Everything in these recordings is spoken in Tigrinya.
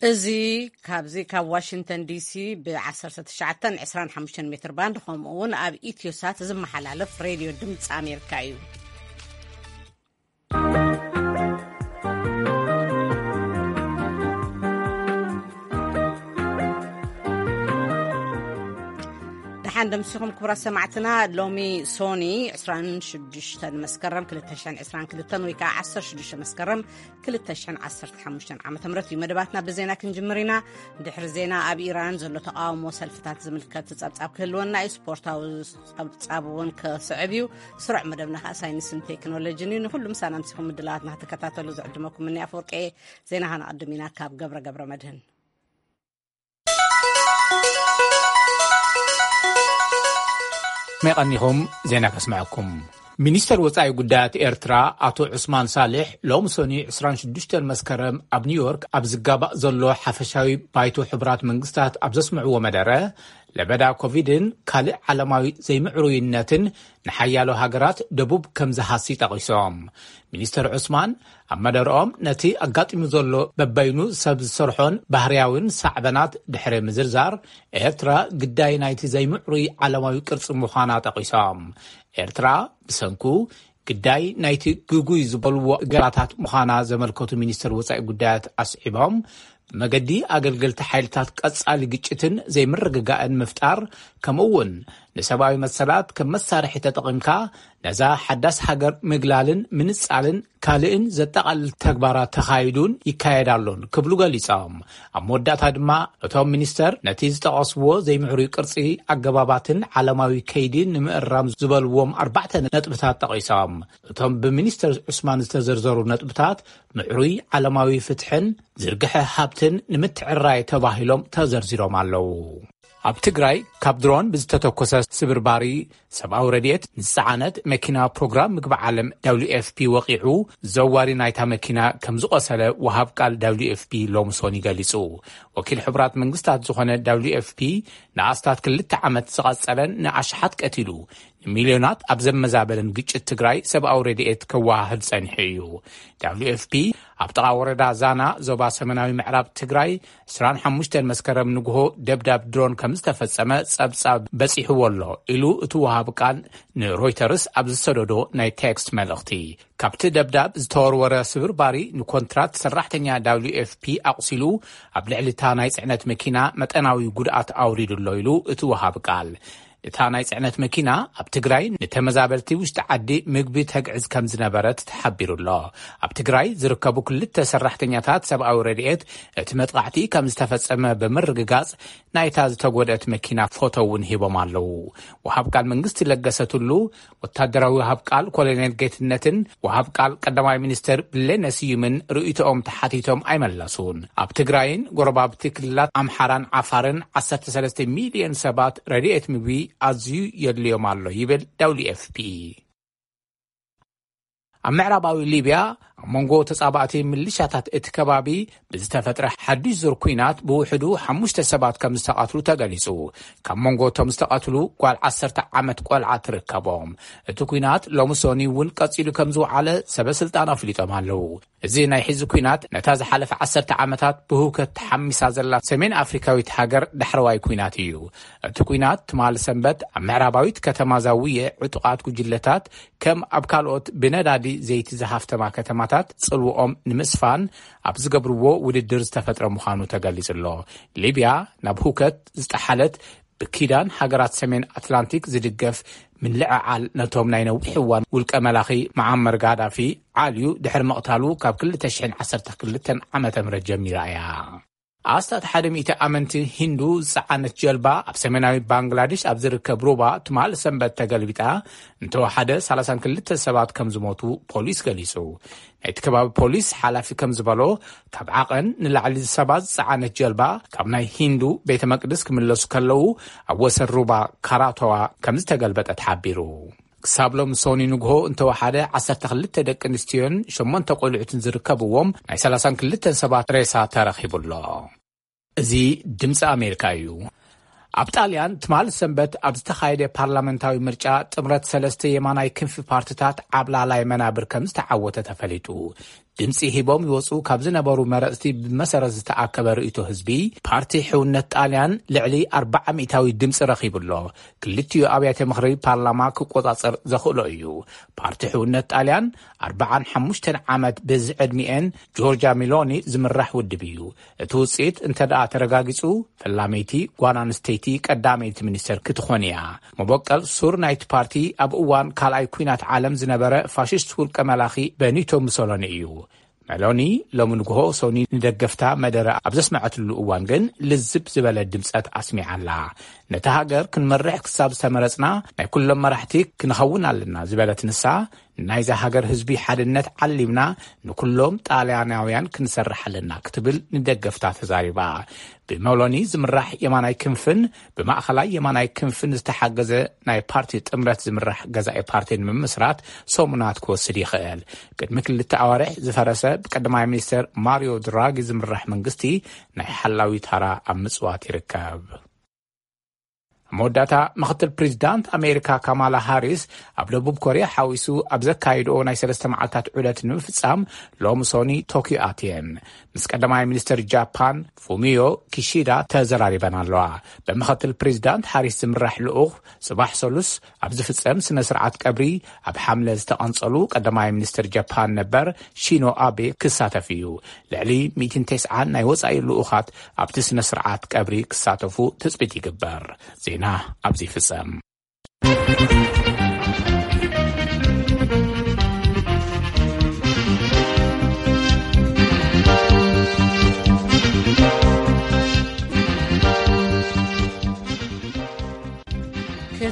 እዚ ካብዚ ካብ ዋሽንግተን ዲሲ ብ ዓሰርተ ትሽዓተ ዕስራን ሓሙሽተን ሜትር ባንድ፣ ከምኡ እውን ኣብ ኢትዮሳት ዝመሓላለፍ ሬድዮ ድምፂ ኣሜሪካ እዩ። ደሓን ደምሲኹም ክቡራት ሰማዕትና። ሎሚ ሶኒ ዕስራን ሽዱሽተን መስከረም ክልተ ሽሕን ዕስራን ክልተን ወይ ከዓ ዓሰርተ ሽዱሽተ መስከረም ክልተ ሽሕን ዓሰርተ ሓሙሽተን ዓመተ ምህረት እዩ። መደባትና ብዜና ክንጅምር ኢና። ድሕሪ ዜና ኣብ ኢራን ዘሎ ተቃውሞ ሰልፍታት ዝምልከት ጸብጻብ ክህልወና እዩ። ስፖርታዊ ጸብጻብ እውን ክስዕብ እዩ። ስሩዕ መደብና ከዓ ሳይንስን ቴክኖሎጂን እዩ። ንኹሉ ምሳና ምሲኹም ምድላዋትና ክትከታተሉ ዝዕድመኩም እኒ ኣፈወርቂ። ዜና ከነቐድም ኢና ካብ ገብረ ገብረ መድህን። መቐኒኹም ዜና ከስምዐኩም። ሚኒስተር ወጻኢ ጉዳያት ኤርትራ ኣቶ ዑስማን ሳልሕ ሎም ሶኒ ዕስራን ሽዱሽተን መስከረም ኣብ ኒውዮርክ ኣብ ዝጋባእ ዘሎ ሓፈሻዊ ባይቶ ሕቡራት መንግስታት ኣብ ዘስምዕዎ መደረ፣ ለበዳ ኮቪድን ካልእ ዓለማዊ ዘይምዕሩይነትን ንሓያሎ ሃገራት ደቡብ ከም ዝሃሲ ጠቒሶም። ሚኒስተር ዑስማን ኣብ መደረኦም ነቲ ኣጋጢሙ ዘሎ በበይኑ ሰብ ዝሰርሖን ባህርያውን ሳዕበናት ድሕሪ ምዝርዛር፣ ኤርትራ ግዳይ ናይቲ ዘይምዕሩይ ዓለማዊ ቅርጺ ምዃና ጠቒሶም። ኤርትራ ብሰንኩ ግዳይ ናይቲ ግጉይ ዝበልዎ ገራታት ምዃና ዘመልከቱ ሚኒስተር ወጻኢ ጉዳያት ኣስዒቦም፣ ብመገዲ ኣገልገልቲ ሓይልታት ቀጻሊ ግጭትን ዘይምርግጋእን ምፍጣር፣ ከምኡ እውን ንሰብኣዊ መሰላት ከም መሳርሒ ተጠቒምካ ነዛ ሓዳስ ሃገር ምግላልን ምንጻልን ካልእን ዘጠቓልል ተግባራት ተኻይዱን ይካየድ ኣሎን ክብሉ ገሊጾም። ኣብ መወዳእታ ድማ እቶም ሚኒስተር ነቲ ዝጠቐስዎ ዘይምዕሩይ ቅርጺ ኣገባባትን ዓለማዊ ከይዲ ንምእራም ዝበልዎም ኣርባዕተ ነጥብታት ጠቒሶም። እቶም ብሚኒስተር ዑስማን ዝተዘርዘሩ ነጥብታት ምዕሩይ ዓለማዊ ፍትሕን ዝርግሐ ሃብትን ንምትዕራይ ተባሂሎም ተዘርዚሮም ኣለዉ። ኣብ ትግራይ ካብ ድሮን ብዝተተኮሰ ስብርባሪ ሰብኣዊ ረድኤት ንዝጸዓነት መኪና ፕሮግራም ምግቢ ዓለም ደብሊው ኤፍ ፒ ወቒዑ፣ ዘዋሪ ናይታ መኪና ከም ዝቖሰለ ወሃብ ቃል ደብሊው ኤፍ ፒ ሎሚ ሶኒ ገሊጹ። ወኪል ሕቡራት መንግስታት ዝኾነ ደብሊው ኤፍ ፒ ንኣስታት ክልተ ዓመት ዝቐጸለን ንኣሽሓት ቀቲሉ፣ ንሚልዮናት ኣብ ዘመዛበለን ግጭት ትግራይ ሰብኣዊ ረድኤት ከወሃህድ ጸኒሑ እዩ። ደብሊው ኤፍ ፒ ኣብ ጥቓ ወረዳ ዛና ዞባ ሰሜናዊ ምዕራብ ትግራይ ዕስራን ሓሙሽተን መስከረም ንግሆ ደብዳብ ድሮን ከም ዝተፈጸመ ጸብጻብ በጺሕዎ ኣሎ ኢሉ እቲ ወሃቢ ቃል ንሮይተርስ ኣብ ዝሰደዶ ናይ ቴክስት መልእኽቲ። ካብቲ ደብዳብ ዝተወርወረ ስብርባሪ ንኮንትራት ሰራሕተኛ ደብሊው ኤፍ ፒ ኣቑሲሉ ኣብ ልዕሊ እታ ናይ ጽዕነት መኪና መጠናዊ ጉድኣት ኣውሪዱ ኣሎ ኢሉ እቲ ወሃቢ ቃል። እታ ናይ ጽዕነት መኪና ኣብ ትግራይ ንተመዛበልቲ ውሽጢ ዓዲ ምግቢ ተግዕዝ ከም ዝነበረት ተሓቢሩ ኣሎ። ኣብ ትግራይ ዝርከቡ ክልተ ሰራሕተኛታት ሰብኣዊ ረድኤት እቲ መጥቓዕቲ ከም ዝተፈጸመ ብምርግጋጽ ናይታ ዝተጎድአት መኪና ፎቶ እውን ሂቦም ኣለዉ። ወሃብ ቃል መንግስቲ ለገሰ ቱሉ፣ ወታደራዊ ወሃብ ቃል ኮሎኔል ጌትነትን ወሃብ ቃል ቀዳማይ ሚኒስትር ብሌነ ስዩምን ርእይቶኦም ተሓቲቶም ኣይመለሱን። ኣብ ትግራይን ጎረባብቲ ክልላት ኣምሓራን ዓፋርን ዓሰርተ ሰለስተ ሚልዮን ሰባት ረድኤት ምግቢ ኣዝዩ የድልዮም ኣሎ ይብል ደብሊው ኤፍ ፒ። ኣብ ምዕራባዊ ሊብያ ኣብ መንጎ ተጻባእቲ ምልሻታት እቲ ከባቢ ብዝተፈጥረ ሓድሽ ዙር ኲናት ብውሕዱ ሓሙሽተ ሰባት ከም ዝተቐትሉ ተገሊጹ። ካብ መንጎ እቶም ዝተቐትሉ ጓል ዓሰርተ ዓመት ቆልዓ ትርከቦም። እቲ ኲናት ሎሚ ሶኒ እውን ቀጺሉ ከም ዝወዓለ ሰበ ስልጣን ኣፍሊጦም ኣለዉ። እዚ ናይ ሕዚ ኲናት ነታ ዝሓለፈ ዓሰርተ ዓመታት ብህውከት ተሓሚሳ ዘላ ሰሜን ኣፍሪካዊት ሃገር ዳሕረዋይ ኲናት እዩ። እቲ ኲናት ትማሊ ሰንበት ኣብ ምዕራባዊት ከተማ ዛውየ ዕጡቓት ጉጅለታት ከም ኣብ ካልኦት ብነዳዲ ዘይቲ ዝሃፍተማ ከተማታት ጽልውኦም ንምስፋን ኣብ ዝገብርዎ ውድድር ዝተፈጥረ ምዃኑ ተገሊጹ ኣሎ። ሊብያ ናብ ህውከት ዝጠሓለት ብኪዳን ሃገራት ሰሜን ኣትላንቲክ ዝድገፍ ምልዕዓል ነቶም ናይ ነዊሕ እዋን ውልቀ መላኺ መዓመር ጋዳፊ ዓልዩ ድሕሪ ምቕታሉ ካብ ክልተ ሽሕን ዓሰርተ ክልተን ዓመተ ምህረት ጀሚራ እያ። ኣስታት ሓደ ሚእቲ ኣመንቲ ሂንዱ ዝጸዓነት ጀልባ ኣብ ሰሜናዊ ባንግላዴሽ ኣብ ዝርከብ ሩባ ትማል ሰንበት ተገልቢጣ እንተወሓደ ሰላሳን ክልተ ሰባት ከም ዝሞቱ ፖሊስ ገሊጹ። ናይቲ ከባቢ ፖሊስ ሓላፊ ከም ዝበሎ፣ ካብ ዓቐን ንላዕሊ ሰባት ዝጸዓነት ጀልባ ካብ ናይ ሂንዱ ቤተ መቅደስ ክምለሱ ከለዉ ኣብ ወሰን ሩባ ካራቶዋ ከም ዝተገልበጠ ተሓቢሩ። ክሳብ ሎም ሶኒ ንግሆ እንተወሓደ ዓሰርተ ክልተ ደቂ ኣንስትዮን ሸሞንተ ቆልዑትን ዝርከብዎም ናይ ሰላሳን ክልተን ሰባት ሬሳ ተረኺቡ ኣሎ። እዚ ድምፂ ኣሜሪካ እዩ። ኣብ ጣልያን ትማል ሰንበት ኣብ ዝተኻየደ ፓርላመንታዊ ምርጫ ጥምረት ሰለስተ የማናይ ክንፊ ፓርቲታት ዓብላላይ መናብር ከም ዝተዓወተ ተፈሊጡ። ድምፂ ሂቦም ይወፁ ካብ ዝነበሩ መረፅቲ ብመሰረት ዝተኣከበ ርእይቶ ህዝቢ፣ ፓርቲ ሕውነት ጣልያን ልዕሊ ኣርባዓ ሚእታዊ ድምፂ ረኺቡ ኣሎ። ክልቲኡ ኣብያተ ምኽሪ ፓርላማ ክቆፃፀር ዘኽእሎ እዩ። ፓርቲ ሕውነት ጣልያን ኣርባዓን ሓሙሽተን ዓመት ብዝዕድሚኤን ጆርጃ ሚሎኒ ዝምራሕ ውድብ እዩ። እቲ ውፅኢት እንተ ደኣ ተረጋጊጹ፣ ፈላመይቲ ጓል ኣንስተይቲ ቀዳመይቲ ሚኒስተር ክትኾን እያ። መበቀል ሱር ናይቲ ፓርቲ ኣብ እዋን ካልኣይ ኲናት ዓለም ዝነበረ ፋሽስት ውልቀ መላኺ በኒቶ ሙሶሎኒ እዩ። መሎኒ ሎሚ ንግሆ ሶኒ ንደገፍታ መደረ ኣብ ዘስመዐትሉ እዋን ግን ልዝብ ዝበለ ድምጸት ኣስሚዓ ኣላ። ነታ ሃገር ክንመርሕ ክሳብ ዝተመረጽና ናይ ኩሎም መራሕቲ ክንኸውን ኣለና ዝበለት ንሳ፣ ናይዛ ሃገር ህዝቢ ሓድነት ዓሊምና ንኩሎም ጣልያናውያን ክንሰርሕ ኣለና ክትብል ንደገፍታ ተዛሪባ። ብመሎኒ ዝምራሕ የማናይ ክንፍን ብማእኸላይ የማናይ ክንፍን ዝተሓገዘ ናይ ፓርቲ ጥምረት ዝምራሕ ገዛኢ ፓርቲ ንምምስራት ሰሙናት ክወስድ ይኽእል። ቅድሚ ክልተ ኣዋርሕ ዝፈረሰ ብቀዳማይ ሚኒስተር ማሪዮ ድራጊ ዝምራሕ መንግስቲ ናይ ሓላዊ ታራ ኣብ ምጽዋት ይርከብ። ኣብ መወዳእታ፣ ምኽትል ፕሬዚዳንት ኣሜሪካ ካማላ ሃሪስ ኣብ ደቡብ ኮርያ ሓዊሱ ኣብ ዘካየድኦ ናይ ሰለስተ መዓልታት ዑደት ንምፍጻም ሎሚ ሶኒ ቶኪዮ ኣትየን። ምስ ቀዳማይ ሚኒስትር ጃፓን ፉሚዮ ኪሺዳ ተዘራሪበን ኣለዋ። ብምኽትል ፕሬዚዳንት ሃሪስ ዝምራሕ ልኡኽ ጽባሕ ሰሉስ ኣብ ዝፍጸም ስነ ስርዓት ቀብሪ ኣብ ሓምለ ዝተቐንጸሉ ቀዳማይ ሚኒስትር ጃፓን ነበር ሺኖ ኣቤ ክሳተፍ እዩ። ልዕሊ ሚእትን ተስዓን ናይ ወጻኢ ልኡኻት ኣብቲ ስነ ስርዓት ቀብሪ ክሳተፉ ትጽቢት ይግበር። ዜና ኣብዚ ይፍጸም።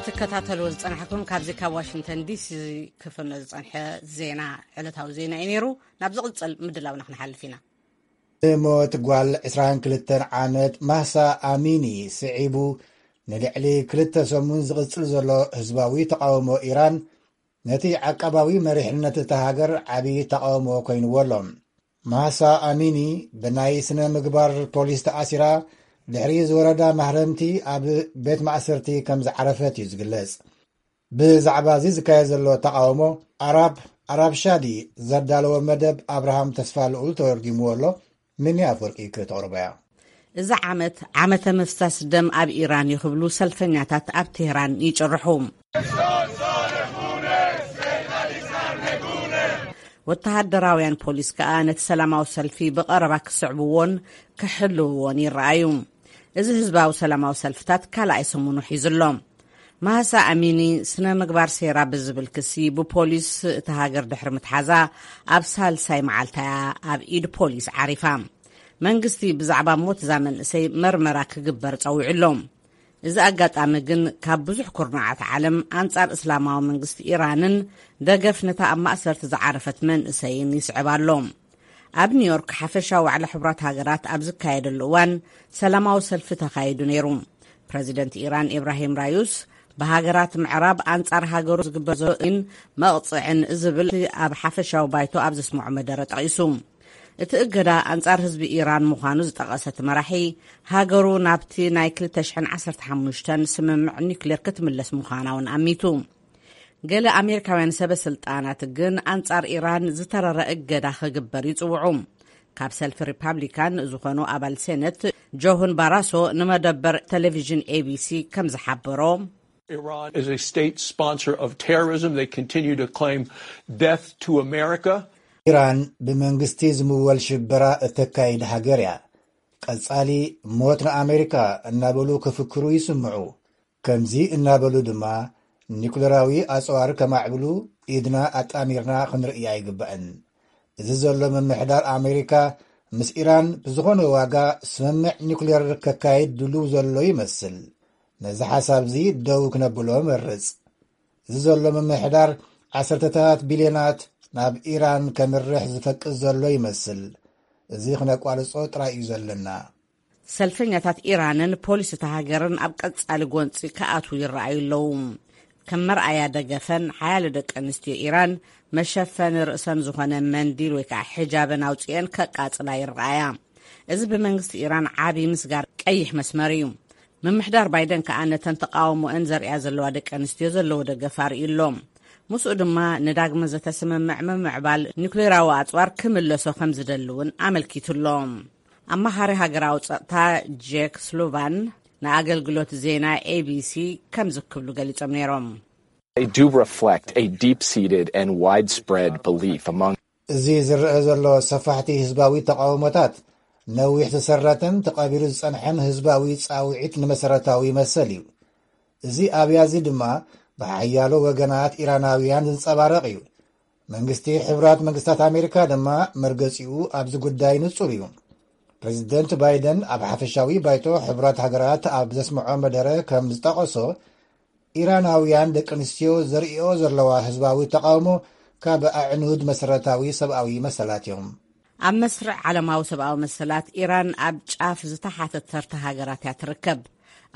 ክትከታተልዎ ዝጸናሕኩም ካብዚ ካብ ዋሽንግተን ዲሲ ክፍኖ ዝጸንሐ ዜና፣ ዕለታዊ ዜና እዩ ነይሩ። ናብ ዝቕጽል ምድላውና ክንሓልፍ ኢና። ንሞት ጓል ዕስራን ክልተን ዓመት ማህሳ ኣሚኒ ስዒቡ፣ ንልዕሊ ክልተ ሰሙን ዝቕጽል ዘሎ ህዝባዊ ተቓውሞ ኢራን፣ ነቲ ዓቃባዊ መሪሕነት እታ ሃገር ዓቢ ተቓውሞ ኮይንዎ ኣሎ። ማህሳ ኣሚኒ ብናይ ስነ ምግባር ፖሊስ ተኣሲራ፣ ድሕሪ ዝወረዳ ማህረምቲ ኣብ ቤት ማእሰርቲ ከም ዝዓረፈት እዩ ዝግለጽ። ብዛዕባ እዚ ዝካየድ ዘሎ ተቓውሞ፣ ኣራብ፣ ኣራብ ሻዲ ዘዳለዎ መደብ ኣብርሃም ተስፋ ልኡል ተወርጊምዎ ኣሎ። ሚኒ ኣፍወርቂ ክተቕርቦ እያ። እዚ ዓመት ዓመተ ምፍሳስ ደም ኣብ ኢራን እዩ ክብሉ ሰልፈኛታት ኣብ ቴህራን ይጭርሑ። ወተሃደራውያን ፖሊስ ከኣ ነቲ ሰላማዊ ሰልፊ ብቐረባ ክስዕብዎን ክሕልውዎን ይረኣዩ። እዚ ህዝባዊ ሰላማዊ ሰልፍታት ካልኣይ ሰሙኑ ሒዙ ኣሎ። ማህሳ ኣሚኒ ስነ ምግባር ሴራ ብዝብል ክሲ ብፖሊስ እታ ሃገር ድሕሪ ምትሓዛ ኣብ ሳልሳይ መዓልታ እያ ኣብ ኢድ ፖሊስ ዓሪፋ። መንግስቲ ብዛዕባ ሞት እዛ መንእሰይ መርመራ ክግበር ጸዊዑ ኣሎ። እዚ ኣጋጣሚ ግን ካብ ብዙሕ ኩርናዓት ዓለም ኣንጻር እስላማዊ መንግስቲ ኢራንን ደገፍ ነታ ኣብ ማእሰርቲ ዝዓረፈት መንእሰይን ይስዕብ ኣሎ። ኣብ ኒውዮርክ ሓፈሻዊ ዋዕላ ሕቡራት ሃገራት ኣብ ዝካየደሉ እዋን ሰላማዊ ሰልፊ ተኻይዱ ነይሩ። ፕረዚደንት ኢራን ኢብራሂም ራዩስ ብሃገራት ምዕራብ ኣንጻር ሃገሩ ዝግበር ዘሎ መቕጽዕን ዝብል ኣብ ሓፈሻዊ ባይቶ ኣብ ዘስምዖ መደረ ጠቒሱ። እቲ እገዳ ኣንጻር ህዝቢ ኢራን ምዃኑ ዝጠቐሰ እቲ መራሒ፣ ሃገሩ ናብቲ ናይ ክልተ ሽሕን ዓሰርተ ሓሙሽተን ስምምዕ ኒውክሌር ክትምለስ ምዃና እውን ኣሚቱ። ገለ ኣሜሪካውያን ሰበ ስልጣናት ግን ኣንጻር ኢራን ዝተረረ እገዳ ክግበር ይጽውዑ። ካብ ሰልፊ ሪፓብሊካን ዝኾኑ ኣባል ሴነት ጆሁን ባራሶ ንመደበር ቴሌቪዥን ኤቢሲ ከም ዝሓበሮ፣ Iran is a state sponsor of terrorism. They continue to claim death to America. ኢራን ብመንግስቲ ዝምወል ሽበራ እተካይድ ሃገር እያ። ቀጻሊ ሞት ንኣሜሪካ እናበሉ ክፍክሩ ይስምዑ። ከምዚ እናበሉ ድማ ኒኩለራዊ ኣጽዋር ከማዕብሉ ኢድና ኣጣሚርና ክንርእያ ኣይግባእን። እዚ ዘሎ ምምሕዳር ኣሜሪካ ምስ ኢራን ብዝኾነ ዋጋ ስምምዕ ኒኩሌር ከካይድ ድሉው ዘሎ ይመስል። ነዚ ሓሳብ እዚ ደው ክነብሎ መርጽ። እዚ ዘሎ ምምሕዳር ዓሰርተታት ቢልዮናት ናብ ኢራን ከምርሕ ዝፈቅድ ዘሎ ይመስል። እዚ ክነቋርጾ ጥራይ እዩ ዘለና። ሰልፈኛታት ኢራንን ፖሊስ እታ ሃገርን ኣብ ቀጻሊ ጎንጺ ክኣትዉ ይረኣዩ ኣለዉ። ከም መርኣያ ደገፈን ሓያሎ ደቂ ኣንስትዮ ኢራን መሸፈኒ ርእሰን ዝኾነ መንዲል ወይ ከዓ ሒጃበን ኣውጺኤን ከቃጽላ ይረኣያ። እዚ ብመንግስቲ ኢራን ዓቢ ምስጋር ቀይሕ መስመር እዩ። ምምሕዳር ባይደን ከኣ ነተን ተቃውሞአን ዘርእያ ዘለዋ ደቂ ኣንስትዮ ዘለዎ ደገፍ ኣርእዩ ኣሎ። ምስኡ ድማ ንዳግመ ዘተ ስምምዕ ምምዕባል ኒኩሌራዊ ኣጽዋር ክምለሶ ከም ዝደሊ እውን ኣመልኪቱ ኣሎ። ኣማኻሪ ሃገራዊ ጸጥታ ጄክ ስሉቫን ንኣገልግሎት ዜና ኤ ቢ ሲ ከምዚ ክብሉ ገሊጾም ነይሮም። They do reflect a deep-seated and widespread belief among እዚ ዝረአ ዘሎ ሰፋሕቲ ህዝባዊ ተቓውሞታት፣ ነዊሕ ዝሰረተን ተቐቢሩ ዝጸንሐን ህዝባዊ ጻውዒት ንመሰረታዊ መሰል እዩ። እዚ ኣብያዚ ድማ ብሓያሎ ወገናት ኢራናውያን ዝንጸባረቕ እዩ። መንግስቲ ሕቡራት መንግስታት ኣሜሪካ ድማ መርገጺኡ ኣብዚ ጉዳይ ንጹር እዩ። ፕሬዚደንት ባይደን ኣብ ሓፈሻዊ ባይቶ ሕቡራት ሃገራት ኣብ ዘስምዖ መደረ ከም ዝጠቐሶ፣ ኢራናውያን ደቂ ኣንስትዮ ዘርእዮ ዘለዋ ህዝባዊ ተቓውሞ ካብ ኣዕኑድ መሰረታዊ ሰብኣዊ መሰላት እዮም። ኣብ መስርዕ ዓለማዊ ሰብኣዊ መሰላት፣ ኢራን ኣብ ጫፍ ዝተሓተት ተርታ ሃገራት እያ ትርከብ።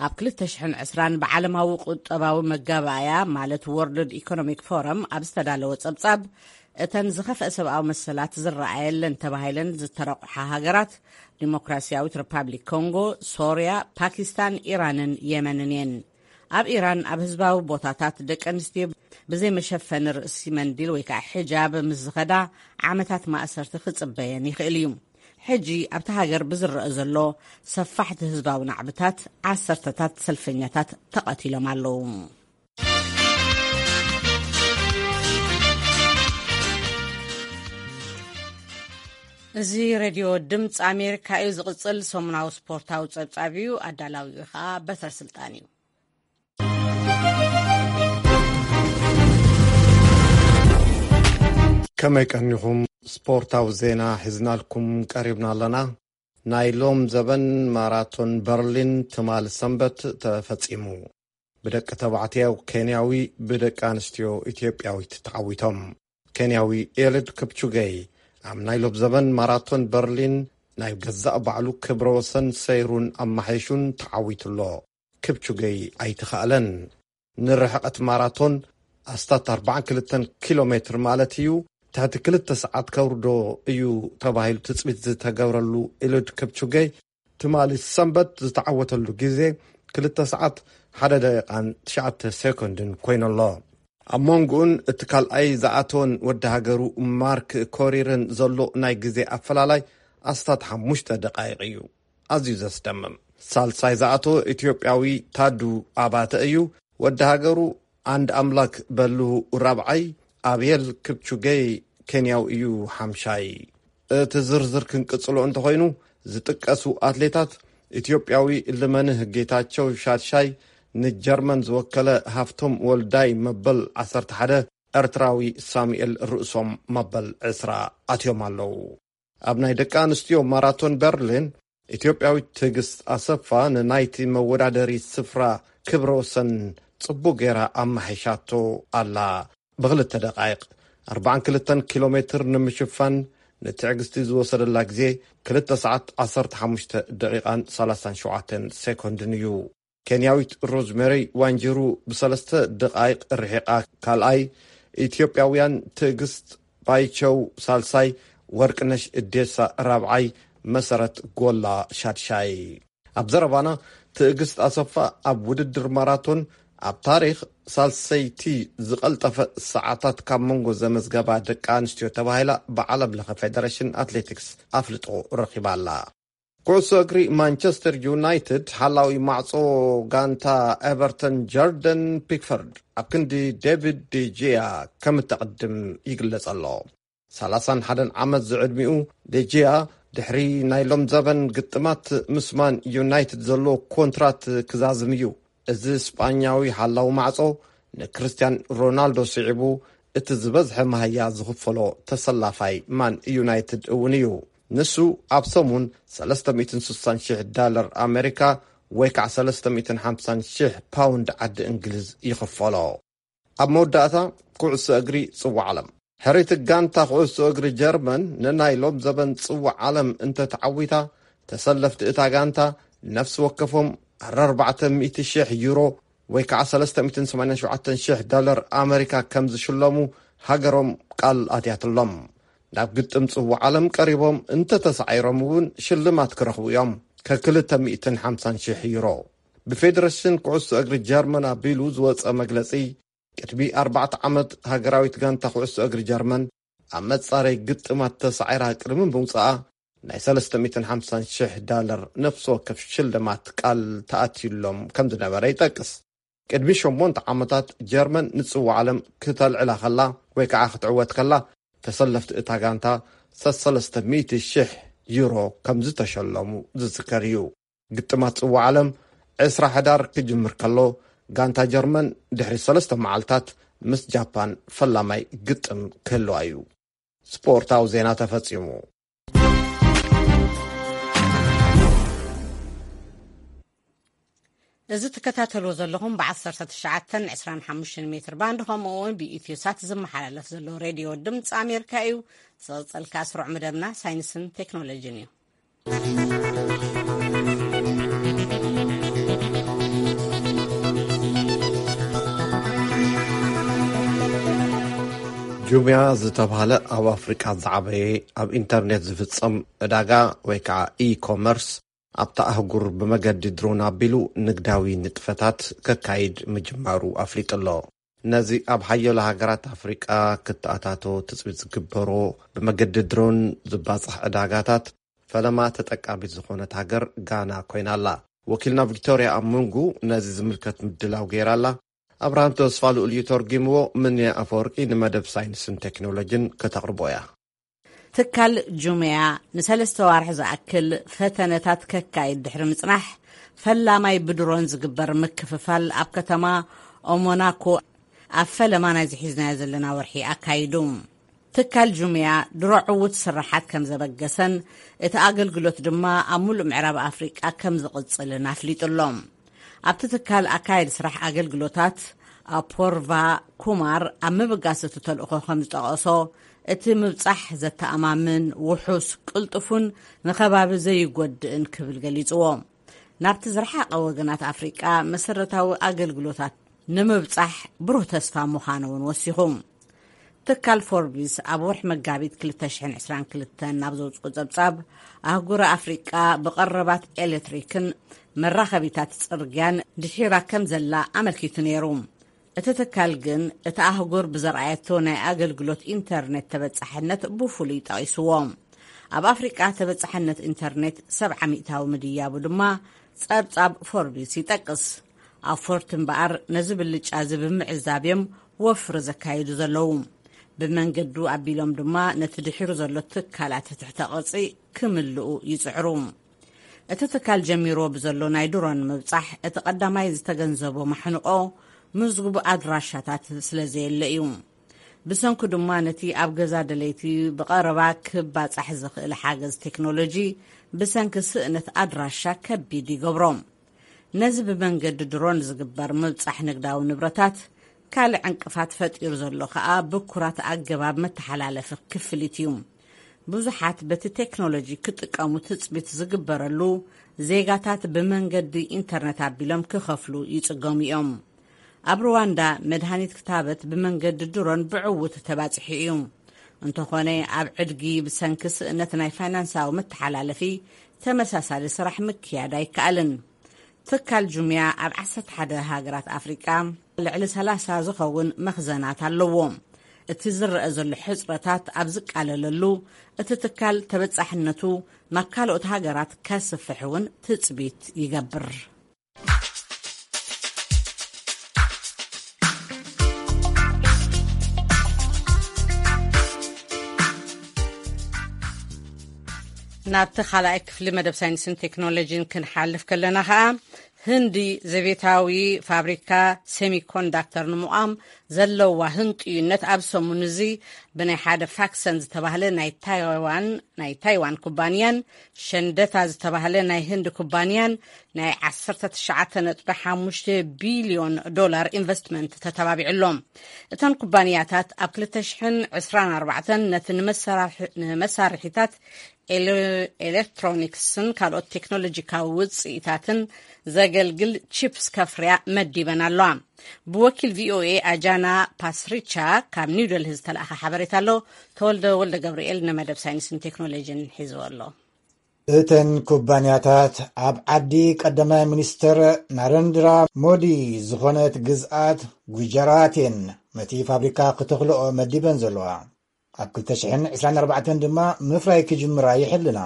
ኣብ ክልተ ሽሕን ዕስራን ብዓለማዊ ቁጠባዊ መጋባእያ፣ ማለት ወርልድ ኢኮኖሚክ ፎረም፣ ኣብ ዝተዳለወ ጸብጻብ፣ እተን ዝኸፍአ ሰብኣዊ መሰላት ዝረኣየለን ተባሂለን ዝተረቑሓ ሃገራት፣ ዲሞክራሲያዊት ሪፓብሊክ ኮንጎ፣ ሶርያ፣ ፓኪስታን፣ ኢራንን የመንን እየን። ኣብ ኢራን ኣብ ህዝባዊ ቦታታት ደቂ ኣንስትዮ ብዘይ መሸፈኒ ርእሲ መንዲል ወይ ከዓ ሒጃብ ምስ ዝኸዳ ዓመታት ማእሰርቲ ክጽበየን ይኽእል እዩ። ሕጂ ኣብቲ ሃገር ብዝረአ ዘሎ ሰፋሕቲ ህዝባዊ ናዕብታት ዓሰርተታት ሰልፈኛታት ተቐቲሎም ኣለዉ። እዚ ሬድዮ ድምፂ ኣሜሪካ እዩ። ዝቕፅል ሰሙናዊ ስፖርታዊ ፀብፃብ እዩ። ኣዳላዊኡ ኸዓ በትረ ስልጣን እዩ። ከመይ ቀኒኹም? ስፖርታዊ ዜና ሒዝናልኩም ቀሪብና ኣለና። ናይ ሎም ዘበን ማራቶን በርሊን ትማሊ ሰንበት ተፈጺሙ። ብደቂ ተባዕትዮ ኬንያዊ፣ ብደቂ ኣንስትዮ ኢትዮጵያዊት ተዓዊቶም። ኬንያዊ ኤልድ ክፕቹገይ ኣብ ናይ ሎም ዘበን ማራቶን በርሊን ናይ ገዛእ ባዕሉ ክብረ ወሰን ሰይሩን ኣማሓይሹን ተዓዊቱ ኣሎ። ክፕቹገይ ኣይተኻእለን። ንርሕቐት ማራቶን ኣስታት ኣርባዓን ክልተን ኪሎ ሜትር ማለት እዩ፣ ትሕቲ ክልተ ሰዓት ከውርዶ እዩ ተባሂሉ ትጽቢት ዝተገብረሉ ኤልድ ክፕቹገይ ትማሊ ሰንበት ዝተዓወተሉ ግዜ ክልተ ሰዓት ሓደ ደቂቓን ትሽዓተ ሴኮንድን ኮይኑ ኣሎ። ኣብ መንጎኡን እቲ ካልኣይ ዝኣተወን ወዲ ሃገሩ ማርክ ኮሪርን ዘሎ ናይ ግዜ ኣፈላላይ ኣስታት ሓሙሽተ ደቃይቕ እዩ። ኣዝዩ ዘስደምም። ሳልሳይ ዝኣተወ ኢትዮጵያዊ ታዱ ኣባተ እዩ። ወዲ ሃገሩ ኣንድ ኣምላክ በልሁ ራብዓይ፣ ኣብየል ክፕቹገይ ኬንያዊ እዩ ሓምሻይ። እቲ ዝርዝር ክንቅጽሎ እንተኾይኑ፣ ዝጥቀሱ ኣትሌታት፣ ኢትዮጵያዊ ልመንህ ጌታቸው ሻድሻይ፣ ንጀርመን ዝወከለ ሃፍቶም ወልዳይ መበል ዓሰርተ ሓደ፣ ኤርትራዊ ሳሙኤል ርእሶም መበል ዕስራ ኣትዮም ኣለዉ። ኣብ ናይ ደቂ ኣንስትዮ ማራቶን በርሊን፣ ኢትዮጵያዊት ትዕግስት ኣሰፋ ንናይቲ መወዳደሪ ስፍራ ክብረ ወሰን ጽቡቕ ጌራ ኣማሒሻቶ ኣላ። ብኽልተ ደቓይቕ ኣርባዓን ክልተን ኪሎ ሜትር ንምሽፋን ንትዕግስቲ ዝወሰደላ ግዜ ክልተ ሰዓት ዓሰርተ ሓሙሽተ ደቂቓን ሰላሳን ሸውዓተን ሴኮንድን እዩ። ኬንያዊት ሮዝሜሪ ዋንጅሩ ብሰለስተ ደቓይቕ ርሒቓ ካልኣይ፣ ኢትዮጵያውያን ትዕግስት ባይቸው ሳልሳይ፣ ወርቅነሽ እዴሳ ራብዓይ፣ መሰረት ጎላ ሻድሻይ። ኣብ ዘረባና፣ ትዕግስት ኣሰፋ ኣብ ውድድር ማራቶን ኣብ ታሪኽ ሳልሰይቲ ዝቐልጠፈ ሰዓታት ካብ መንጎ ዘመዝገባ ደቂ ኣንስትዮ ተባሂላ ብዓለም ለኸ ፌደሬሽን ኣትሌቲክስ ኣፍልጦ ረኺባ ኣላ። ኩዕሶ እግሪ ማንቸስተር ዩናይትድ ሓላዊ ማዕጾ ጋንታ ኤቨርተን ጀርደን ፒክፈርድ ኣብ ክንዲ ዴቪድ ዴጂያ ከም እተቕድም ይግለጽ ኣሎ። ሰላሳን ሓደን ዓመት ዝዕድሚኡ ዴጂያ ድሕሪ ናይ ሎም ዘበን ግጥማት ምስ ማን ዩናይትድ ዘሎ ኮንትራት ክዛዝም እዩ። እዚ ስጳኛዊ ሓላዊ ማዕጾ ንክርስቲያን ሮናልዶ ስዒቡ እቲ ዝበዝሐ መሃያ ዝኽፈሎ ተሰላፋይ ማን ዩናይትድ እውን እዩ። ንሱ ኣብ ሰሙን ሰለስተ ሚእትን ስሳን ሽሕ ዳለር ኣሜሪካ ወይ ከዓ ሰለስተ ሚእትን ሓምሳን ሽሕ ፓውንድ ዓዲ እንግሊዝ ይኽፈሎ። ኣብ መወዳእታ ኩዕሶ እግሪ ጽዋዕ ዓለም። ሕርይቲ ጋንታ ኩዕሶ እግሪ ጀርመን ንናይ ሎም ዘበን ጽዋዕ ዓለም እንተተዓዊታ፣ ተሰለፍቲ እታ ጋንታ ነፍሲ ወከፎም ኣርባዕተ ሚእቲ ሽሕ ዩሮ ወይ ከዓ ሰለስተ ሚእትን ሰማንያን ሸውዓተን ሽሕ ዳለር ኣመሪካ ከም ዝሽለሙ ሃገሮም ቃል ኣትያትሎም። ናብ ግጥም ጽዋዕ ዓለም ቀሪቦም እንተተሳዒሮም እውን ሽልማት ክረኽቡ እዮም፣ ከክልተ ሚእትን ሓምሳን ሽሕ ዩሮ። ብፌደሬሽን ኩዕሶ እግሪ ጀርመን ኣቢሉ ዝወጸ መግለጺ፣ ቅድሚ ኣርባዕተ ዓመት ሃገራዊት ጋንታ ኩዕሶ እግሪ ጀርመን ኣብ መጻረይ ግጥማት ተሳዒራ ቅድሚ ምውጻኣ ናይ ሰለስተ ሚእትን ሓምሳን ሽሕ ዳለር ነፍሲ ወከፍ ሽልማት ቃል ተኣትዩሎም ከም ዝነበረ ይጠቅስ። ቅድሚ ሸሞንተ ዓመታት ጀርመን ንጽዋዕ ዓለም ክተልዕላ ከላ ወይ ከዓ ክትዕወት ከላ ተሰለፍቲ እታ ጋንታ ሰለስተ ሚእቲ ሽሕ ዩሮ ከም ዝተሸለሙ ዝዝከር እዩ። ግጥማት ጽዋዕ ዓለም ዕስራ ሕዳር ክጅምር ከሎ ጋንታ ጀርመን ድሕሪ ሰለስተ መዓልታት ምስ ጃፓን ፈላማይ ግጥም ክህልዋ እዩ። ስፖርታዊ ዜና ተፈጺሙ። እዚ ትከታተልዎ ዘለኹም ብ19 25 ሜትር ባንድ ከምኡ እውን ብኢትዮ ሳት ዝመሓላለፍ ዘሎ ሬድዮ ድምፂ ኣሜሪካ እዩ። ዝቕፀልካ ስሩዕ መደብና ሳይንስን ቴክኖሎጂን እዩ። ጁምያ ዝተባህለ ኣብ ኣፍሪቃ ዝዓበየ ኣብ ኢንተርኔት ዝፍጸም ዕዳጋ ወይ ከዓ ኢኮመርስ ኣብታ ኣህጉር ብመገዲ ድሮን ኣቢሉ ንግዳዊ ንጥፈታት ከካይድ ምጅማሩ ኣፍሊጡ ኣሎ። ነዚ ኣብ ሓያሎ ሃገራት ኣፍሪቃ ክተኣታቶ ትጽቢት ዝግበሮ ብመገዲ ድሮን ዝባጻሕ ዕዳጋታት ፈለማ ተጠቃሚት ዝኾነት ሃገር ጋና ኮይና ኣላ። ወኪልና ቪክቶርያ ኣብ መንጉ ነዚ ዝምልከት ምድላው ገይራ ኣላ። ኣብርሃም ተስፋ ልኡል እዩ ተርጊምዎ። ምንያ ኣፈወርቂ ንመደብ ሳይንስን ቴክኖሎጂን ከተቕርቦ እያ። ትካል ጁምያ ንሰለስተ ዋርሒ ዝኣክል ፈተነታት ከካይድ ድሕሪ ምጽናሕ፣ ፈላማይ ብድሮን ዝግበር ምክፍፋል ኣብ ከተማ ኦሞናኮ ኣብ ፈለማ ናይዚ ሒዝናዮ ዘለና ወርሒ ኣካይዱ። ትካል ጁምያ ድሮ ዕዉት ስራሓት ከም ዘበገሰን እቲ ኣገልግሎት ድማ ኣብ ሙሉእ ምዕራብ ኣፍሪቃ ከም ዝቕጽልን ኣፍሊጡ ኣሎ። ኣብቲ ትካል ኣካየዲ ስራሕ ኣገልግሎታት ኣፖርቫ ኩማር ኣብ ምብጋስ እቲ ተልእኾ ከም ዝጠቐሶ፣ እቲ ምብጻሕ ዘተኣማምን፣ ውሑስ፣ ቅልጡፉን ንኸባቢ ዘይጎድእን ክብል ገሊጽዎ። ናብቲ ዝረሓቐ ወገናት ኣፍሪቃ መሰረታዊ ኣገልግሎታት ንምብጻሕ ብሩህ ተስፋ ምዃኑ እውን ወሲኹ። ትካል ፎርቢስ ኣብ ወርሒ መጋቢት ክልተ ሽሕን ዕስራን ክልተን ናብ ዘውጽኦ ጸብጻብ፣ ኣህጉር ኣፍሪቃ ብቐረባት ኤሌክትሪክን መራኸቢታት ጽርግያን ድሒራ ከም ዘላ ኣመልኪቱ ነይሩ። እቲ ትካል ግን፣ እቲ ኣህጉር ብዘርኣየቶ ናይ ኣገልግሎት ኢንተርኔት ተበጻሕነት ብፍሉይ ጠቒስዎ። ኣብ ኣፍሪቃ ተበጻሕነት ኢንተርኔት ሰብዓ ሚእታዊ ምድያቡ ድማ ጸብጻብ ፎርቢስ ይጠቅስ። ኣፎርት እምበኣር ነዚ ብልጫ እዚ ብምዕዛብ እዮም ወፍሪ ዘካይዱ ዘለዉ። ብመንገዱ ኣቢሎም ድማ ነቲ ድሒሩ ዘሎ ትካላት ትሕተ ቅርጺ ክምልኡ ይጽዕሩ። እቲ ትካል ጀሚርዎ ብዘሎ ናይ ድሮን ምብጻሕ፣ እቲ ቀዳማይ ዝተገንዘቦ ማሕንቆ ምዝጉብ ኣድራሻታት ስለ ዘየለ እዩ። ብሰንኩ ድማ ነቲ ኣብ ገዛ ደለይቲ ብቐረባ ክባጻሕ ዝኽእል ሓገዝ ቴክኖሎጂ ብሰንኪ ስእነት ኣድራሻ ከቢድ ይገብሮ። ነዚ ብመንገዲ ድሮን ዝግበር ምብጻሕ ንግዳዊ ንብረታት ካልእ ዕንቅፋት ፈጢሩ ዘሎ ከኣ ብኩራት ኣገባብ መተሓላለፊ ክፍሊት እዩ። ብዙሓት በቲ ቴክኖሎጂ ክጥቀሙ ትጽቢት ዝግበረሉ ዜጋታት ብመንገዲ ኢንተርነት ኣቢሎም ክኸፍሉ ይጽገሙ እዮም። ኣብ ሩዋንዳ መድሃኒት ክታበት ብመንገዲ ድሮን ብዕዉት ተባጺሑ እዩ። እንተኾነ ኣብ ዕድጊ ብሰንኪ ስእነት ናይ ፋይናንሳዊ መተሓላለፊ ተመሳሳሊ ስራሕ ምክያድ ኣይከኣልን። ትካል ጁምያ ኣብ ዓሰርተ ሓደ ሃገራት ኣፍሪቃ ልዕሊ ሰላሳ ዝኸውን መኽዘናት ኣለዎ። እቲ ዝረአ ዘሎ ሕጽረታት ኣብ ዝቃለለሉ፣ እቲ ትካል ተበጻሕነቱ ናብ ካልኦት ሃገራት ከስፍሕ እውን ትጽቢት ይገብር። ናብቲ ካልኣይ ክፍሊ መደብ ሳይንስን ቴክኖሎጂን ክንሓልፍ ከለና ኸኣ፣ ህንዲ ዘቤታዊ ፋብሪካ ሴሚኮንዳክተር ንምቋም ዘለዋ ህንጥዩነት ኣብ ሰሙን እዚ ብናይ ሓደ ፋክሰን ዝተባህለ ናይ ታይዋን ናይ ታይዋን ኩባንያን ሸንደታ ዝተባህለ ናይ ህንዲ ኩባንያን ናይ ዓሰርተ ትሽዓተ ነጥቢ ሓሙሽተ ቢልዮን ዶላር ኢንቨስትመንት ተተባቢዑ ኣሎ። እተን ኩባንያታት ኣብ ክልተ ሽሕን ዕስራን ኣርባዕተን ነቲ ንመሳርሒ-፣ ንመሳርሒታት ኤሌ-፣ ኤሌክትሮኒክስን ካልኦት ቴክኖሎጂካዊ ውፅኢታትን ዘገልግል ቺፕስ ከፍርያ መዲበን ኣለዋ። ብወኪል ቪ ኦ ኤ ኣጃና ፓስሪቻ ካብ ኒው ደልሂ ዝተላእኸ ሓበሬታ ኣሎ። ተወልደ ወልደ ገብርኤል ንመደብ ሳይንስን ቴክኖሎጂን ሒዝዎ ኣሎ። እተን ኩባንያታት ኣብ ዓዲ ቀዳማይ ሚኒስተር ናረንድራ ሞዲ ዝኾነት ግዝኣት ጉጀራት እየን ነቲ ፋብሪካ ክተኽልኦ መዲበን ዘለዋ። ኣብ ክልተ ሽሕን ዕስራን ኣርባዕተን ድማ ምፍራይ ክጅምራ ይሕልና።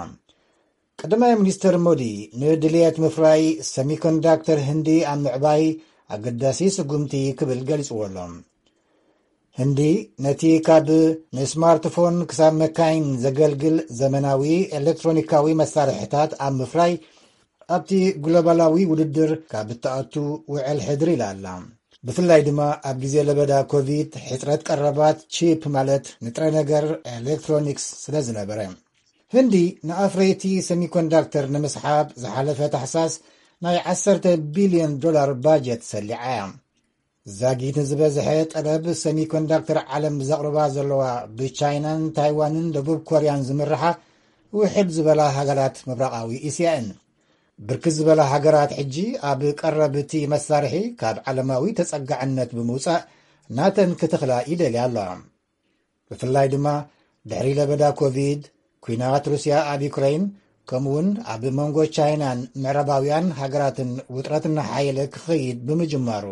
ቀዳማይ ሚኒስተር ሞዲ ንድልየት ምፍራይ ሰሚኮንዳክተር ህንዲ ኣብ ምዕባይ ኣገዳሲ ስጉምቲ ክብል ገሊጽዎ ኣሎ። ህንዲ ነቲ ካብ ንስማርትፎን ክሳብ መካይን ዘገልግል ዘመናዊ ኤሌክትሮኒካዊ መሳርሕታት ኣብ ምፍራይ ኣብቲ ግሎባላዊ ውድድር ካብ እትኣቱ ውዕል ሕድር ኢላ ኣላ። ብፍላይ ድማ ኣብ ግዜ ለበዳ ኮቪድ ሕጽረት ቀረባት ቺፕ ማለት ንጥረ ነገር ኤሌክትሮኒክስ ስለ ዝነበረ። ህንዲ ንኣፍረይቲ ሰሚኮንዳክተር ንምስሓብ ዝሓለፈ ታሕሳስ ናይ ዓሰርተ ቢልዮን ዶላር ባጀት ሰሊዓ እያ። ዛጊት ንዝበዝሐ ጠለብ ሰሚኮንዳክተር ዓለም ዘቕርባ ዘለዋ ብቻይናን ታይዋንን ደቡብ ኮርያን ዝምርሓ ውሕድ ዝበላ ሃገራት ምብራቓዊ እስያ እየን። ብርክት ዝበላ ሃገራት ሕጂ ኣብ ቀረብ እቲ መሳርሒ ካብ ዓለማዊ ተጸጋዕነት ብምውጻእ ናተን ክትኽላ ይደልያ ኣለዋ። ብፍላይ ድማ ድሕሪ ለበዳ ኮቪድ፣ ኲናት ሩስያ ኣብ ዩክረይን፣ ከምኡውን ኣብ መንጎ ቻይናን ምዕራባውያን ሃገራትን ውጥረት እናሓየለ ክኸይድ ብምጅማሩ፣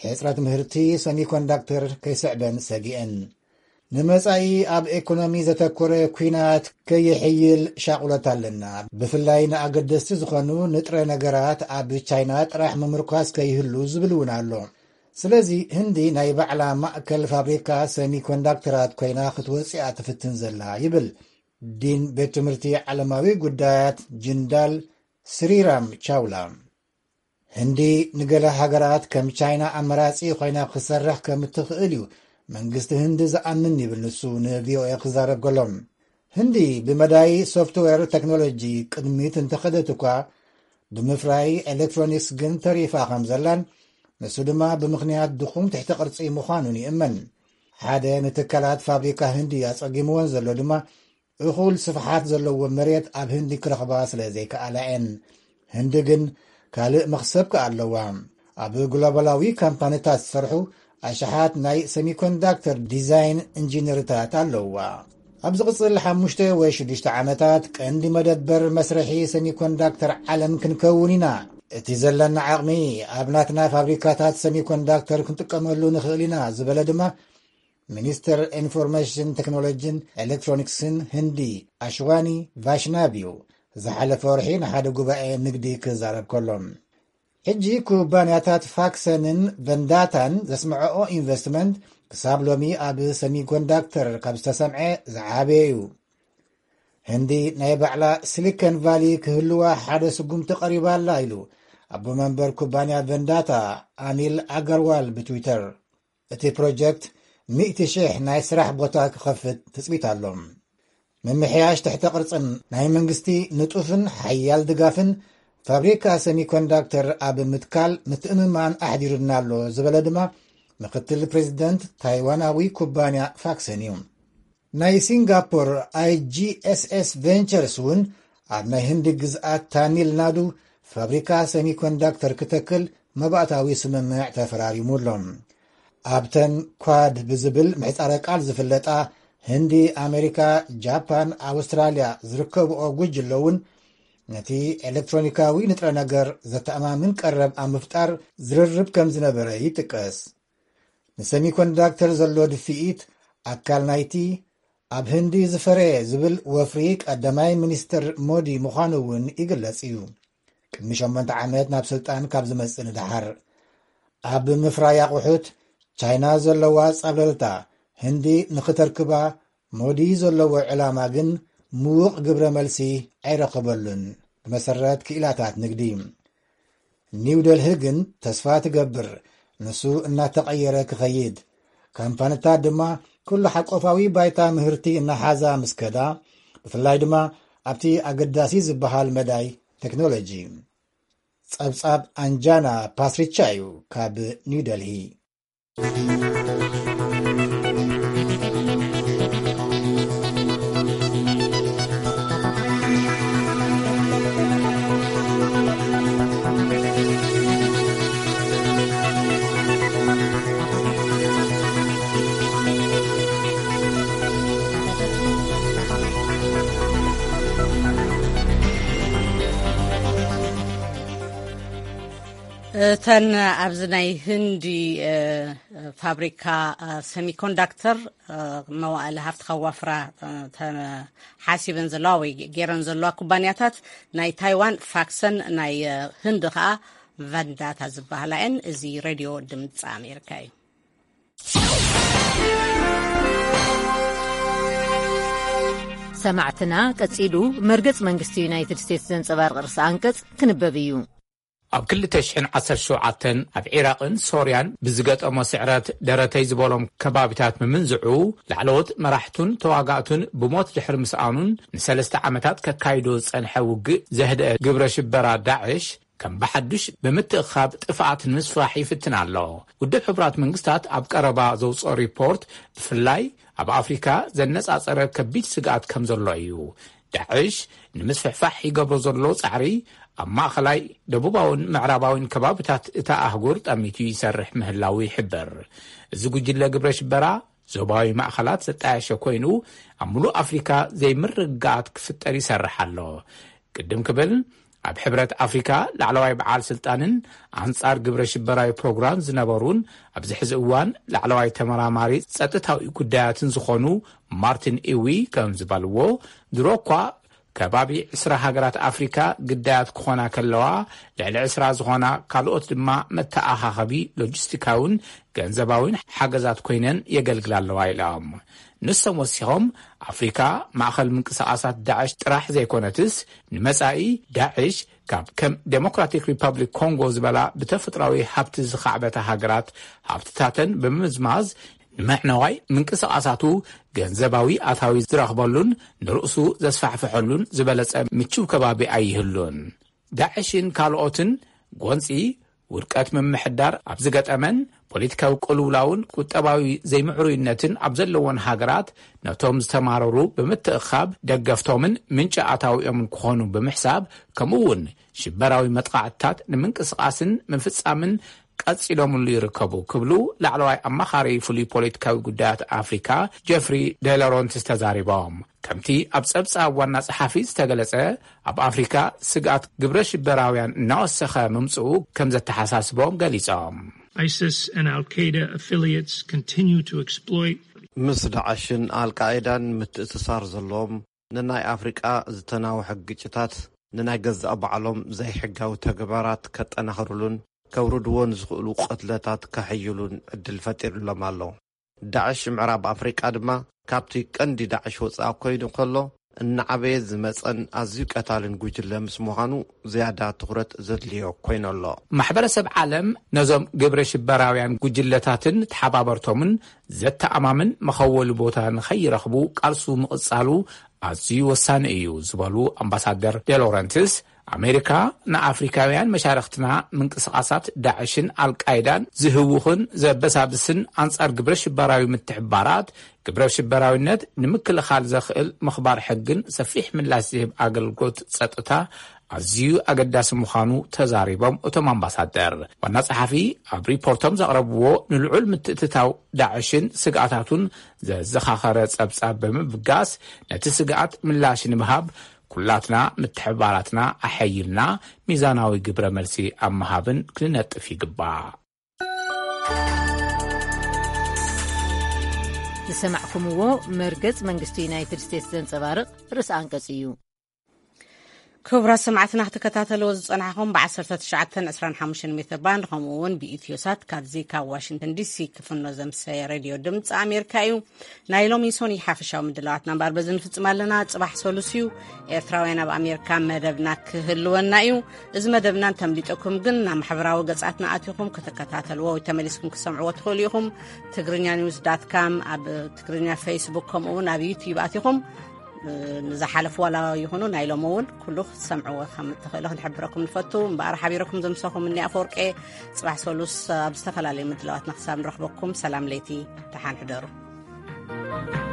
ሕጽረት ምህርቲ ሰሚኮንዳክተር ከይስዕበን ሰጊአን። ንመጻኢ ኣብ ኤኮኖሚ ዘተኮረ ኲናት ከይሕይል ሻቑለት ኣለና። ብፍላይ ንኣገደስቲ ዝኾኑ ንጥረ ነገራት ኣብ ቻይና ጥራሕ ምምርኳስ ከይህሉ ዝብል እውን ኣሎ። ስለዚ ህንዲ ናይ ባዕላ ማእከል ፋብሪካ ሰሚኮንዳክተራት ኮይና ክትወጽእ እያ ትፍትን ዘላ ይብል ዲን ቤት ትምህርቲ ዓለማዊ ጉዳያት ጅንዳል ስሪራም ቻውላ። ህንዲ ንገለ ሃገራት ከም ቻይና ኣመራጺ ኮይና ክትሰርሕ ከም እትኽእል እዩ መንግስቲ ህንዲ ዝኣምን ይብል ንሱ ንቪኦኤ ክዛረብ ከሎ። ህንዲ ብመዳይ ሶፍትዌር ቴክኖሎጂ ቅድሚት እንተኸደት እኳ ብምፍራይ ኤሌክትሮኒክስ ግን ተሪፋ ከም ዘላን ንሱ ድማ ብምኽንያት ድኹም ትሕተ ቅርጺ ምዃኑን ይእመን። ሓደ ንትካላት ፋብሪካ ህንዲ ኣጸጊምዎን ዘሎ ድማ እኹል ስፍሓት ዘለዎ መሬት ኣብ ህንዲ ክረኽባ ስለ ዘይከኣላ እየን። ህንዲ ግን ካልእ መኽሰብ ከኣ ኣለዋ። ኣብ ግሎባላዊ ካምፓኒታት ዝሰርሑ ኣሽሓት ናይ ሰሚኮንዳክተር ዲዛይን ኢንጂነርታት ኣለዋ። ኣብ ዝቕጽል ሓሙሽተ ወይ ሽዱሽተ ዓመታት ቀንዲ መደበር መስርሒ ሰሚኮንዳክተር ዓለም ክንከውን ኢና። እቲ ዘለና ዓቕሚ ኣብ ናትና ፋብሪካታት ሰሚኮንዳክተር ክንጥቀመሉ ንኽእል ኢና ዝበለ ድማ ሚኒስተር ኢንፎርሜሽን ቴክኖሎጂን ኤሌክትሮኒክስን ህንዲ ኣሽዋኒ ቫሽናቭ እዩ ዝሓለፈ ወርሒ ንሓደ ጉባኤ ንግዲ ክዛረብ ከሎ። ሕጂ ኩባንያታት ፋክሰንን ቨንዳታን ዘስምዐኦ ኢንቨስትመንት ክሳብ ሎሚ ኣብ ሰሚኮንዳክተር ካብ ዝተሰምዐ ዝዓበየ እዩ። ህንዲ ናይ ባዕላ ሲሊኮን ቫሊ ክህልዋ ሓደ ስጉምቲ ቀሪባ ኣላ ኢሉ ኣቦ መንበር ኩባንያ ቨንዳታ ኣኒል ኣገርዋል ብትዊተር። እቲ ፕሮጀክት ሚእቲ ሽሕ ናይ ስራሕ ቦታ ክኸፍት ትጽቢት ኣሎ። ምምሕያሽ ትሕተ ቅርጽን ናይ መንግስቲ ንጡፍን ሓያል ድጋፍን ፋብሪካ ሰሚኮንዳክተር ኣብ ምትካል ምትእምማን ኣሕዲሩና ኣሎ ዝበለ ድማ ምክትል ፕሬዚደንት ታይዋናዊ ኩባንያ ፋክሰን እዩ። ናይ ሲንጋፖር ኣይጂኤስኤስ ቬንቸርስ እውን ኣብ ናይ ህንዲ ግዝኣት ታሚል ናዱ ፋብሪካ ሰሚኮንዳክተር ክተክል መባእታዊ ስምምዕ ተፈራሪሙ ኣሎ። ኣብተን ኳድ ብዝብል ምሕጻረ ቃል ዝፍለጣ ህንዲ፣ ኣሜሪካ፣ ጃፓን፣ ኣውስትራልያ ዝርከብኦ ጉጅለ እውን ነቲ ኤሌክትሮኒካዊ ንጥረ ነገር ዘተኣማምን ቀረብ ኣብ ምፍጣር ዝርርብ ከም ዝነበረ ይጥቀስ። ንሰሚኮንዳክተር ዘሎ ድፍኢት ኣካል ናይቲ ኣብ ህንዲ ዝፈረየ ዝብል ወፍሪ ቀዳማይ ሚኒስትር ሞዲ ምዃኑ እውን ይግለጽ እዩ። ቅድሚ ሸሞንተ ዓመት ናብ ስልጣን ካብ ዝመጽእ ንደሓር ኣብ ምፍራይ ኣቑሑት ቻይና ዘለዋ ጻብለልታ ህንዲ ንኽተርክባ ሞዲ ዘለዎ ዕላማ ግን ምዉቕ ግብረ መልሲ ኣይረኸበሉን። ብመሰረት ክኢላታት ንግዲ ኒው ደልሂ ግን ተስፋ ትገብር ንሱ እናተቐየረ ክኸይድ፣ ካምፓኒታት ድማ ኩሉ ሓቆፋዊ ባይታ ምህርቲ እናሓዛ ምስ ከዳ፣ ብፍላይ ድማ ኣብቲ ኣገዳሲ ዝበሃል መዳይ ቴክኖሎጂ። ጸብጻብ ኣንጃና ፓስሪቻ እዩ ካብ ኒው ደልሂ። እተን ኣብዚ ናይ ህንዲ እ፣ ፋብሪካ እ፣ ሰሚኮንዳክተር እ፣ መዋእለ ሃፍቲ ከዋፍራ እ፣ ተሓሲበን ዘለዋ ወይ ገይረን ዘለዋ ኩባንያታት ናይ ታይዋን ፋክሰን ናይ እ፣ ህንዲ ከዓ ቫንዳታ ዝበሃላ እየን። እዚ ሬድዮ ድምፂ ኣሜሪካ እዩ። ሰማዕትና፣ ቀጺሉ መርገጽ መንግስቲ ዩናይትድ ስቴትስ ዘንጸባርቕ ርእሰ ኣንቀጽ ክንበብ እዩ። ኣብ ክልተ ሽሕን ዓሰርተ ሸውዓተን ኣብ ዒራቕን ሶርያን ብዝገጠሞ ስዕረት ደረተይ ዝበሎም ከባቢታት ምምንዝዑ፣ ላዕለዎት መራሕቱን ተዋጋእቱን ብሞት ድሕሪ ምስኣኑን ንሰለስተ ዓመታት ከካይዶ ዝጸንሐ ውግእ ዘህደአ ግብረ ሽበራ ዳዕሽ ከም ብሓዱሽ ብምትእኻብ ጥፍኣት ንምስፋሕ ይፍትን ኣሎ። ውድብ ሕቡራት መንግስታት ኣብ ቀረባ ዘውፅኦ ሪፖርት ብፍላይ ኣብ ኣፍሪካ ዘነፃፀረ ከቢድ ስግኣት ከም ዘሎ እዩ። ዳዕሽ ንምስፍሕፋሕ ይገብሮ ዘሎ ፃዕሪ ኣብ ማእኸላይ ደቡባውን ምዕራባውን ከባብታት እታ ኣህጉር ጠሚቱ ይሰርሕ ምህላው ይሕበር። እዚ ጉጅለ ግብረ ሽበራ ዞባዊ ማእኸላት ዘጣየሸ ኮይኑ ኣብ ሙሉእ ኣፍሪካ ዘይምርግጋኣት ክፍጠር ይሰርሕ ኣሎ። ቅድም ክብል ኣብ ሕብረት ኣፍሪካ ላዕለዋይ በዓል ስልጣንን ኣንጻር ግብረ ሽበራዊ ፕሮግራም ዝነበሩን ኣብዚ ሕዚ እዋን ላዕለዋይ ተመራማሪ ጸጥታዊ ጉዳያትን ዝኾኑ ማርቲን ኢዊ ከም ዝበልዎ፣ ድሮ እኳ ከባቢ ዕስራ ሃገራት ኣፍሪካ ግዳያት ክኾና ከለዋ፣ ልዕሊ ዕስራ ዝኾና ካልኦት ድማ መተኣኻኸቢ ሎጂስቲካውን ገንዘባውን ሓገዛት ኮይነን የገልግላ ኣለዋ ኢሎም። ንሶም ወሲኾም፣ ኣፍሪካ ማእኸል ምንቅስቃሳት ዳዕሽ ጥራሕ ዘይኮነትስ፣ ንመጻኢ ዳዕሽ ካብ ከም ዴሞክራቲክ ሪፐብሊክ ኮንጎ ዝበላ ብተፈጥራዊ ሃብቲ ዝኻዕበታ ሃገራት ሃብትታተን ብምምዝማዝ ንመዕነዋይ ምንቅስቃሳቱ ገንዘባዊ ኣታዊ ዝረኽበሉን ንርእሱ ዘስፋሕፍሐሉን ዝበለጸ ምችው ከባቢ ኣይህሉን። ዳዕሽን ካልኦትን ጎንጺ ውድቀት ምምሕዳር ኣብ ዝገጠመን ፖለቲካዊ ቅልውላውን ቁጠባዊ ዘይምዕሩይነትን ኣብ ዘለዎን ሃገራት ነቶም ዝተማረሩ ብምትእኻብ ደገፍቶምን ምንጪ ኣታዊኦምን ክኾኑ ብምሕሳብ፣ ከምኡ እውን ሽበራዊ መጥቃዕትታት ንምንቅስቃስን ምፍጻምን ቀጺሎምሉ ይርከቡ ክብሉ ላዕለዋይ ኣማኻሪ ፍሉይ ፖለቲካዊ ጉዳያት ኣፍሪካ ጀፍሪ ደሎረንትስ ተዛሪቦም። ከምቲ ኣብ ጸብጻብ ዋና ጸሓፊ ዝተገለጸ፣ ኣብ ኣፍሪካ ስግኣት ግብረ ሽበራውያን እናወሰኸ ምምጽኡ ከም ዘተሓሳስቦም ገሊጾም። ISIS and Al Qaeda affiliates continue to exploit ምስ ዳዕሽን ኣልቃይዳን ምትእስሳር ዘለዎም ንናይ ኣፍሪቃ ዝተናውሐ ግጭታት ንናይ ገዛእ ባዕሎም ዘይሕጋዊ ተግባራት ከጠናኽርሉን ከውርድዎ ንዝኽእሉ ቅትለታት ከሕይሉን ዕድል ፈጢሩሎም ኣሎ። ዳዕሽ ምዕራብ ኣፍሪቃ ድማ ካብቲ ቀንዲ ዳዕሽ ወጻኢ ኮይኑ ከሎ እናዓበየ ዝመጸን ኣዝዩ ቀታልን ጉጅለ ምስ ምዃኑ ዝያዳ ትኹረት ዘድልዮ ኮይኑ ኣሎ። ማሕበረሰብ ዓለም ነዞም ግብረ ሽበራውያን ጉጅለታትን ተሓባበርቶምን ዘተኣማምን መኸወሊ ቦታ ንኸይረኽቡ ቃልሱ ምቕጻሉ ኣዝዩ ወሳኒ እዩ ዝበሉ ኣምባሳደር ዴሎረንትስ፣ ኣሜሪካ ንኣፍሪካውያን መሻርኽትና ምንቅስቓሳት ዳዕሽን ኣልቃይዳን ዝህውኽን ዘበሳብስን ኣንጻር ግብረ ሽበራዊ ምትሕባራት ግብረ ሽበራዊነት ንምክልኻል ዘኽእል ምኽባር ሕግን ሰፊሕ ምላሽ ዝህብ ኣገልግሎት ጸጥታ ኣዝዩ ኣገዳሲ ምዃኑ ተዛሪቦም እቶም ኣምባሳደር። ዋና ጸሓፊ ኣብ ሪፖርቶም ዘቕረብዎ ንልዑል ምትእትታው ዳዕሽን ስግኣታቱን ዘዘኻኸረ ጸብጻብ ብምብጋስ፣ ነቲ ስግኣት ምላሽ ንምሃብ ኩላትና ምትሕባራትና ኣሐይልና ሚዛናዊ ግብረ መልሲ ኣብ ምሃብን ክንነጥፍ ይግባእ። ዝሰማዕኩምዎ መርገጽ መንግስቲ ዩናይትድ ስቴትስ ዘንጸባርቕ ርእሰ ኣንቀጽ እዩ። ክቡራት ሰማዕትና ክትከታተልዎ ዝጸናሕኹም ብ19 25 ሜትር ባንድ ከምኡ እውን ብኢትዮሳት ካብዚ ካብ ዋሽንግተን ዲሲ ክፍኖ ዘምሰየ ሬድዮ ድምፂ ኣሜሪካ እዩ። ናይ ሎሚ ሶኒ ሓፈሻዊ ምድላዋትና እምበኣር በዚ ንፍጽም ኣለና። ጽባሕ ሰሉስ እዩ። ኤርትራውያን ኣብ ኣሜሪካ መደብና ክህልወና እዩ። እዚ መደብና እንተምሊጠኩም ግን ናብ ማሕበራዊ ገጻትና ኣቲኹም ክትከታተልዎ ወይ ተመሊስኩም ክሰምዕዎ ትኽእሉ ኢኹም። ትግርኛ ኒውስ ዳት ካም ኣብ ትግርኛ ፌስቡክ ከምኡ እውን ኣብ ዩቲዩብ ኣቲኹም ንዝሓለፉ ዋላ ይኹኑ ናይ ሎም እውን ኩሉ ክትሰምዕዎ ከም እትኽእሉ ክንሕብረኩም ንፈቱ። እምበኣር ሓቢረኩም ዘምሰኹም እኒ ኣፈወርቄ። ጽባሕ ሰሉስ ኣብ ዝተፈላለዩ ምድላዋትና ክሳብ ንረኽበኩም ሰላም ለይቲ፣ ደሓን ሕደሩ።